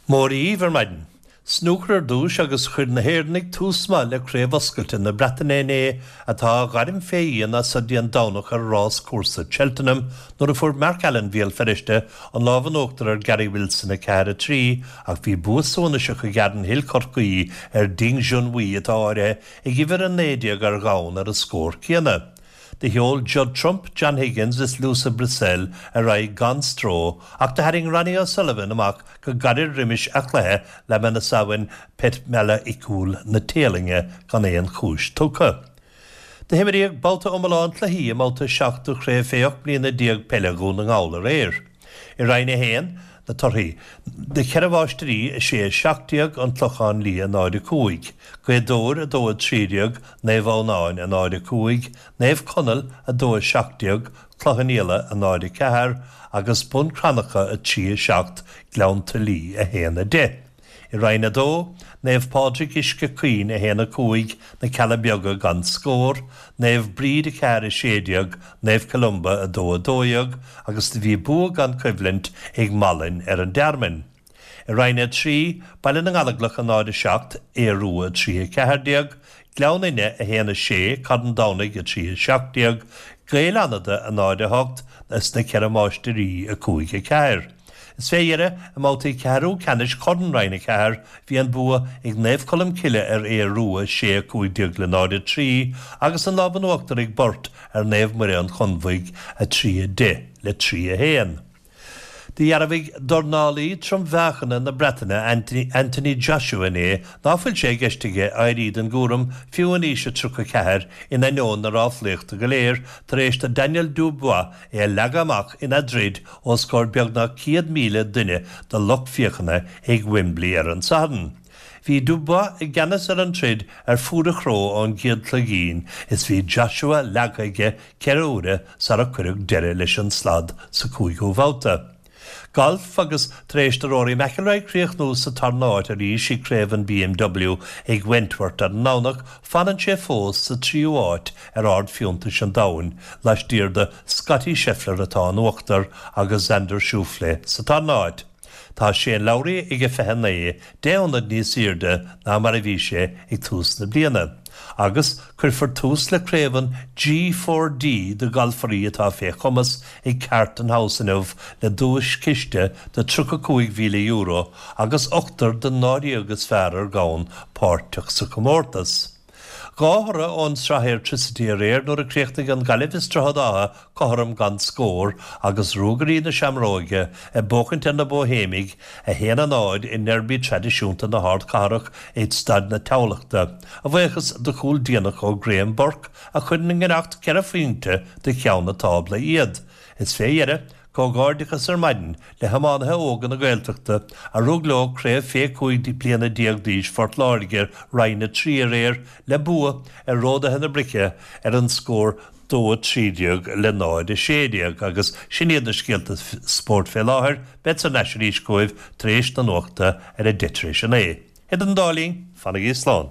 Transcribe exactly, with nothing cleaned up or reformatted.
Mora dhaoibh ar maidin. Snúcar ar dtús agus chuir na hÉireannaigh tús maith le Craobh Oscailte na Breataine inné atá á gairm fé dhíon as so dtí an Domhnach ar ráscúrsa Cheltenham nuair a fuair Mark Allen Bhéal Feirste an lámh in uachtar ar Gary Wilson a ceathair a trí ach bhí bua suanaiseach ag Aaron Hill Chorcaí ar Ding Junhui atá áirithe ag uimhir a naoi déag ar dhomhan ar an scór céanna. Do sheol Judd Trump, John Higgins is Luca Brecel ar aghaidh gan stró ach do tharraing Ronnie O'Sullivan amach go gairid roimis a chluiche le Manasavin Petchmorakot na Téalainne gan aon chúis tugtha. Do himríodh babhta iomlán cluichí i mbabhta seacht de chraobh fé ocht mbliana déag peile Dhún na nGall aréir. I Roinn a haon, na torthaí, Na Ceithre Mháistrí a sé a seacht déag, An Clochán Liath náid a cúig, Gaoth Dobhair a dó a trí déag, Naomh Adhamhnáin a náid a cúig, Naomh Conaill a dó a seacht déag, Cloich Cheann Fhaola a náid a ceathair agus Bun Cranncha a trí a seacht, Gleann tSúilí a haon a deich. I Roinn a dó, Naomh Pádraig Uisce Caoin a haon a cúig, Na Cealla Beaga gan scór, Naomh Bríd a ceathair a sé déag, Naomh Columba a dó a dó dhéag agus do bhí bua gan coimhlint ag Malainn ar an Tearmann. I Roinn a trí, Baile na nGallóglach a náid a seacht, Aodh Rua a trí a ceathair déag, Gleann Fhinne a haon a sé, Carn Domhnaigh a trí a seacht déag, Gaeil Fhánada a náid a hocht is na Ceithre Máistrí a cúig a ceathair. Is fé dheireadh, i mbabhtaí ceathrú ceannais Chorn Roinn a ceathair, bhí an bua ag Naomh Colm Cille ar Aodh Rua sé a cúig déag le náid a trí agus an lámh in uachtar ag Burt ar Naomh Muire an Chonbhaigh a trí a deich le trí a haon. Do dhearbhaigh dornálaí trom-mheáchana na Breataine Anthony Joshua inné ná fuil sé i gceist aige éirí den gcúram fiú in aois a tríocha ceathair in ainneoin na ráflaíochta go léir tar éis do Daniel Dubois é a leagadh amach ina dtroid os comhair beagnach céad míle duine de lucht féachana ag Wembley ar an Satharn. Bhí Dubois i gceannas ar an troid ar fuaid a chró ón gcéad chloigín is bhí Joshua leagtha aige ceithre huaire sara cuireadh deireadh leis an slad sa cúigiú babhta. Galf agus tar éis do Rory McIlroy críochnú sa tarna háit arís i gCraobh an BMW ag Wentworth ar an nDomhnach, fanann sé fós sa tríú háit ar ard fiúntais an domhain, laistiar de Scottie Scheffler atá in uachtar agus Xander Schauffele sa tarna háit. Tá Shane Lowry ag a fiche naoi, deich ionad níos airde ná mar a bhí sé ag tús na bliana. Agus cuirfear tús le craobh an G four D do ghalfairí atá fé chumas ag Carton House inniu le duaischiste de tríocha cúig mhíle euro agus ochtar den ndáréag is fearr ar dhomhan páirteach sa chomórtas. Dhá thoradh ón Sraith Airtricity aréir nuair a chríochnaigh an Ghaillimh is Droichead Átha cothrom gan scór agus Ruagairí na Seamróige ag buachaint ar na Bóihéimigh a haon a náid i ndeirby traidisiúnta na hardchathrach ag Staid na Thamhlachta, a bhuíochas do chúl déanach ó Graham Burke a chuir i ngiorracht ceithre phointe do cheann na tábla iad. Is fé dheireadh, comhghairdeachas ar maidin le hiománaithe óga na Gaeltachta a rug leo craobh fé cúig bliana déag d'aois Phort Láirge Roinn a trí aréir le bua ar Ródaithe na Brice ar an scór dó a trí déag le náid a sé déag agus sin iad na scéalta spóirt fé láthair. Bead thar n-ais arís chugaibh tar éis na nuachta ar a deich tar éis a naoi. Idir an dá linn, fanaigí slán.